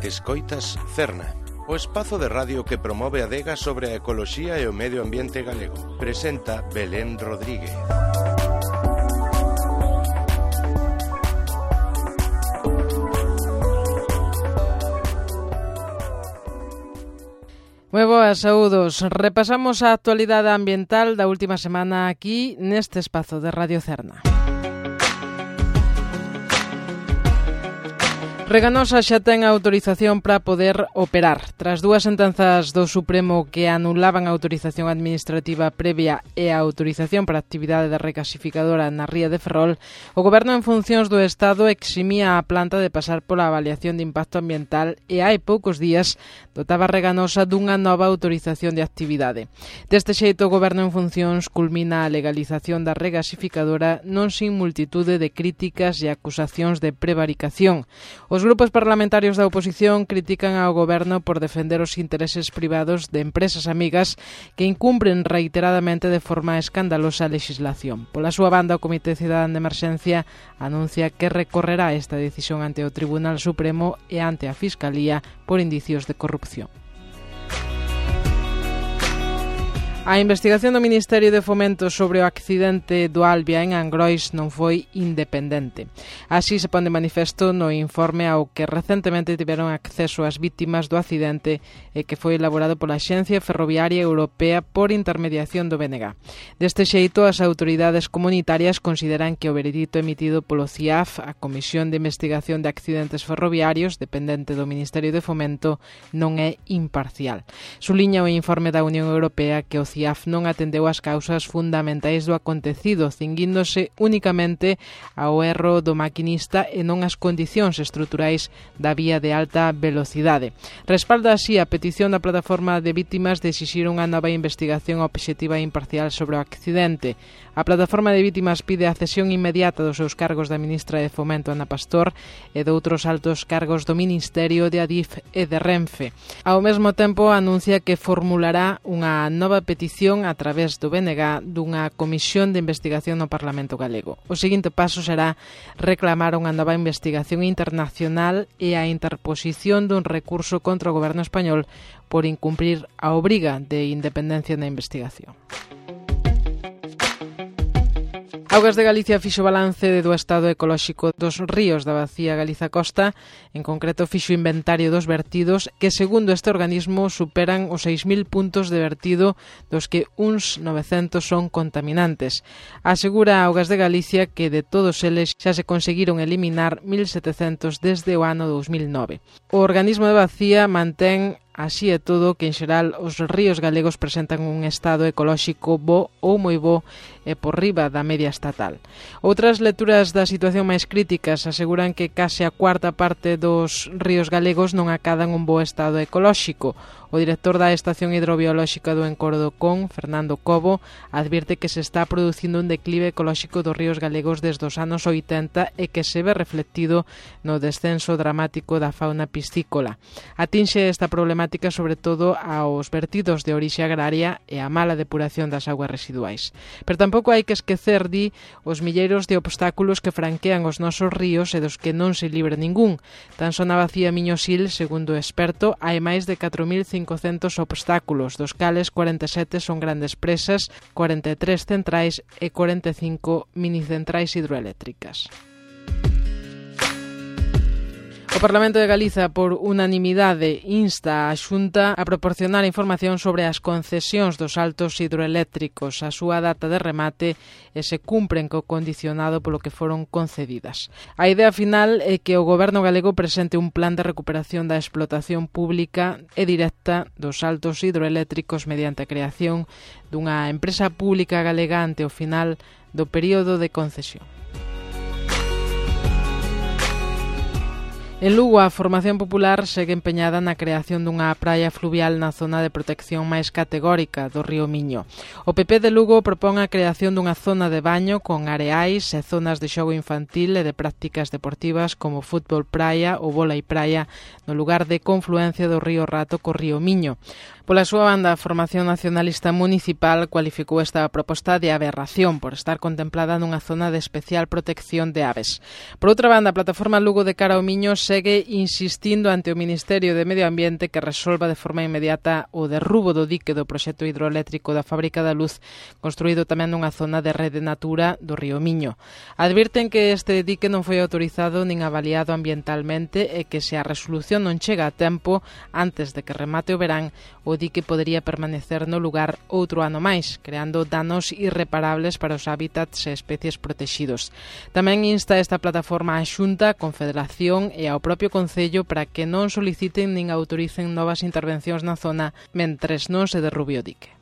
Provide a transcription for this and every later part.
Escoitas Cerna, o espazo de radio que promove a adega sobre a ecoloxía e o medio ambiente galego. Presenta Belén Rodríguez. Moi boas, saúdos. Repasamos a actualidade ambiental da última semana aquí neste espazo de Radio Cerna. Reganosa xa ten a autorización para poder operar. Tras dúas sentenzas do Supremo que anulaban a autorización administrativa previa e a autorización para a actividade de recasificadora na ría de Ferrol, o Goberno en funcións do Estado eximía a planta de pasar pola avaliación de impacto ambiental e hai poucos días dotaba Reganosa dunha nova autorización de actividade. Deste xeito, o Goberno en funcións culmina a legalización da regasificadora non sin multitude de críticas e acusacións de prevaricación. Os grupos parlamentarios da oposición critican ao Goberno por defender os intereses privados de empresas amigas que incumpren reiteradamente de forma escandalosa a legislación. Pola súa banda, o Comité Cidadán de Emerxencia anuncia que recorrerá esta decisión ante o Tribunal Supremo e ante a Fiscalía por indicios de corrupción. A investigación do Ministerio de Fomento sobre o accidente do Albia en Angrois non foi independente. Así se pon de manifesto no informe ao que recentemente tiveron acceso as vítimas do accidente e que foi elaborado pola Axencia Ferroviaria Europea por intermediación do BNG. Deste xeito, as autoridades comunitarias consideran que o veredicto emitido polo CIAF, a Comisión de Investigación de Accidentes Ferroviarios, dependente do Ministerio de Fomento, non é imparcial. Suliña o informe da Unión Europea que o CIAF non atendeu as causas fundamentais do acontecido, cinguíndose únicamente ao erro do maquinista e non as condicións estruturais da vía de alta velocidade. Respalda así a petición da plataforma de vítimas de exixir unha nova investigación obxectiva e imparcial sobre o accidente. A plataforma de vítimas pide a cesión inmediata dos seus cargos da ministra de Fomento, Ana Pastor, e de outros altos cargos do Ministerio, de Adif e de Renfe. Ao mesmo tempo, anuncia que formulará unha nova petición a través do BNG dunha comisión de investigación no Parlamento galego. O seguinte paso será reclamar unha nova investigación internacional e a interposición dun recurso contra o Goberno español por incumprir a obriga de independencia na investigación. Augas de Galicia fixo balance do estado ecolóxico dos ríos da Bacía Galiza-Costa, en concreto fixo inventario dos vertidos que, segundo este organismo, superan os 6.000 puntos de vertido, dos que uns 900 son contaminantes. Asegura Augas de Galicia que de todos eles xa se conseguiron eliminar 1.700 desde o ano 2009. O organismo de Bacía mantén así é todo que, en xeral, os ríos galegos presentan un estado ecolóxico bo ou moi bo e por riba da media estatal. Outras lecturas da situación máis críticas aseguran que case a cuarta parte dos ríos galegos non acadan un bo estado ecolóxico. O director da Estación Hidrobiolóxica do Encodo do Con, Fernando Cobo, advirte que se está producindo un declive ecolóxico dos ríos galegos desde os anos 80 e que se ve reflectido no descenso dramático da fauna piscícola. Atinxe esta problemática sobre todo aos vertidos de orixe agraria e a mala depuración das augas residuais. Pero tampouco hai que esquecer, di, os milleiros de obstáculos que franquean os nosos ríos e dos que non se libre ningún. Tan só na Bacía Miño-Sil, segundo o experto, hai máis de 4.500 obstáculos, dos cales 47 son grandes presas, 43 centrais e 45 minicentrais hidroeléctricas. O Parlamento de Galiza, por unanimidade, insta a Xunta a proporcionar información sobre as concesións dos altos hidroeléctricos, a súa data de remate e se cumpren co condicionado polo que foron concedidas. A idea final é que o Goberno galego presente un plan de recuperación da explotación pública e directa dos altos hidroeléctricos mediante a creación dunha empresa pública galega ante o final do período de concesión. En Lugo, a formación popular segue empeñada na creación dunha praia fluvial na zona de protección máis categórica do río Miño. O PP de Lugo propón a creación dunha zona de baño con areais e zonas de xogo infantil e de prácticas deportivas como fútbol praia ou vólei praia no lugar de confluencia do río Rato co río Miño. Pola súa banda, a Formación Nacionalista Municipal cualificou esta proposta de aberración por estar contemplada nunha zona de especial protección de aves. Por outra banda, a Plataforma Lugo de Cara ao Miño segue insistindo ante o Ministerio de Medio Ambiente que resolva de forma inmediata o derrubo do dique do proxecto hidroeléctrico da Fábrica da Luz, construído tamén nunha zona de rede natura do río Miño. Advirten que este dique non foi autorizado nin avaliado ambientalmente e que se a resolución non chega a tempo antes de que remate o verán, o dique podería permanecer no lugar outro ano máis, creando danos irreparables para os hábitats e especies protegidos. Tamén insta esta plataforma á Xunta, a Confederación e ao propio Concello para que non soliciten nin autoricen novas intervencións na zona mentres non se derrube o dique.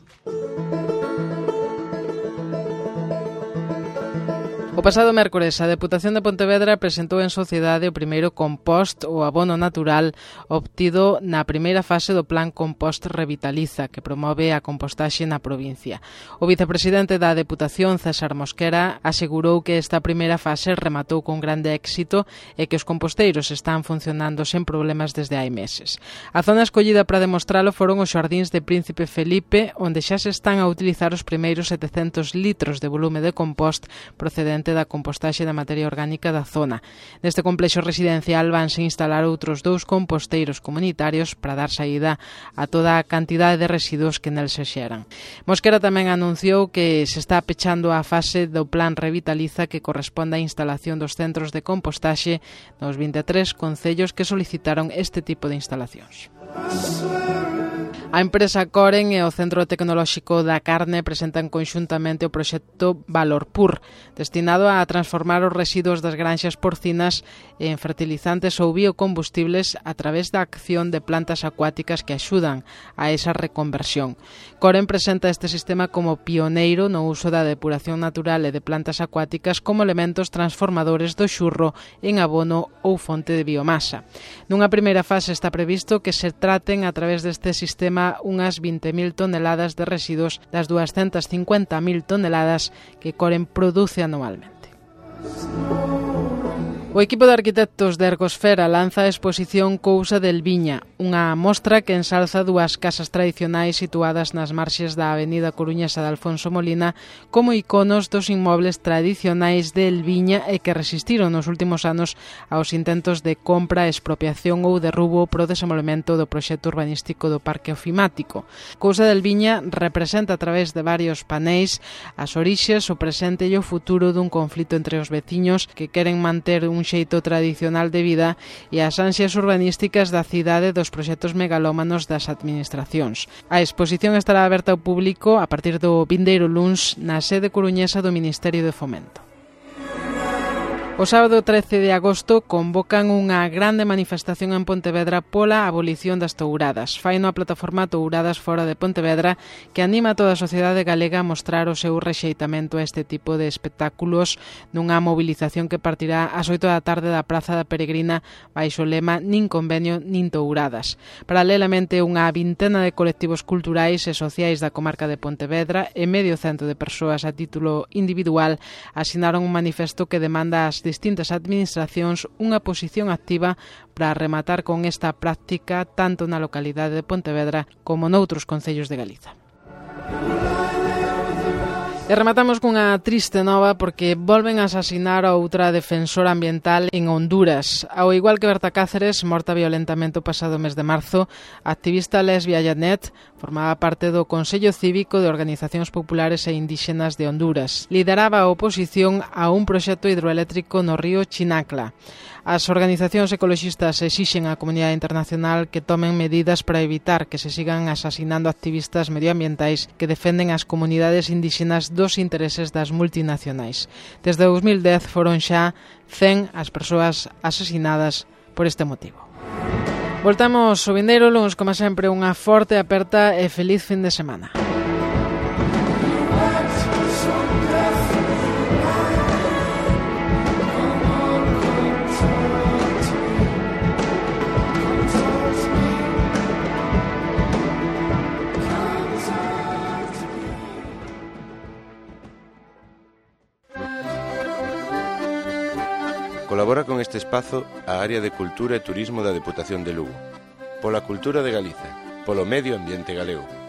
O pasado mércores, a Deputación de Pontevedra presentou en sociedade o primeiro compost ou abono natural obtido na primeira fase do Plan Compost Revitaliza, que promove a compostaxe na provincia. O vicepresidente da Deputación, César Mosquera, asegurou que esta primeira fase rematou con grande éxito e que os composteiros están funcionando sen problemas desde hai meses. A zona escollida para demostralo foron os xardíns de Príncipe Felipe, onde xa se están a utilizar os primeiros 700 litros de volume de compost procedente da compostaxe da materia orgánica da zona. Neste complexo residencial vanse instalar outros 2 composteiros comunitarios para dar saída a toda a cantidade de residuos que nel se xeran. Mosquera tamén anunciou que se está pechando a fase do Plan Revitaliza que corresponde á instalación dos centros de compostaxe nos 23 concellos que solicitaron este tipo de instalacións. A empresa Coren e o Centro Tecnolóxico da Carne presentan conxuntamente o proxecto Valorpur, destinado a transformar os residuos das granxas porcinas en fertilizantes ou biocombustibles a través da acción de plantas acuáticas que axudan a esa reconversión. Coren presenta este sistema como pioneiro no uso da depuración natural e de plantas acuáticas como elementos transformadores do xurro en abono ou fonte de biomasa. Nunha primeira fase está previsto que se traten a través deste sistema unhas 20.000 toneladas de residuos das 250.000 toneladas que Coren produce anualmente. O equipo de arquitectos de Ergosfera lanza a exposición Cousa del Viña, unha mostra que ensalza 2 casas tradicionais situadas nas marxes da avenida coruñesa de Alfonso Molina como iconos dos inmobles tradicionais del Viña e que resistiron nos últimos anos aos intentos de compra, expropiación ou derrubo pro desenvolvemento do proxecto urbanístico do Parque Ofimático. Cousa del Viña representa a través de varios paneis as orixes, o presente e o futuro dun conflito entre os veciños que queren manter un xeito tradicional de vida e as ansias urbanísticas da cidade dos proxectos megalómanos das administracións. A exposición estará aberta ao público a partir do vindeiro luns na sede coruñesa do Ministerio de Fomento. O sábado 13 de agosto convocan unha grande manifestación en Pontevedra pola abolición das touradas. Faino a plataforma Touradas Fora de Pontevedra que anima a toda a sociedade galega a mostrar o seu rexeitamento a este tipo de espectáculos nunha movilización que partirá ás 8 da tarde da Praza da Peregrina baixo o lema Nin convenio, nin touradas. Paralelamente, unha vintena de colectivos culturais e sociais da comarca de Pontevedra e medio cento de persoas a título individual asinaron un manifesto que demanda ás distintas administracións unha posición activa para rematar con esta práctica tanto na localidade de Pontevedra como noutros concellos de Galiza. E rematamos cunha triste nova porque volven a asasinar a outra defensora ambiental en Honduras. Ao igual que Berta Cáceres, morta violentamente o pasado mes de marzo, a activista lesbia Janet formaba parte do Consello Cívico de Organizacións Populares e Indígenas de Honduras. Lideraba a oposición a un proxecto hidroeléctrico no río Chinacla. As organizacións ecoloxistas exixen á comunidade internacional que tomen medidas para evitar que se sigan asasinando activistas medioambientais que defenden as comunidades indígenas dos intereses das multinacionais. Desde 2010 foron xa 100 as persoas asasinadas por este motivo. Voltamos o vindeiro luns, como sempre, unha forte aperta e feliz fin de semana. Colabora con este espazo a Área de Cultura e Turismo da Deputación de Lugo. Pola cultura de Galiza. polo medio ambiente galego.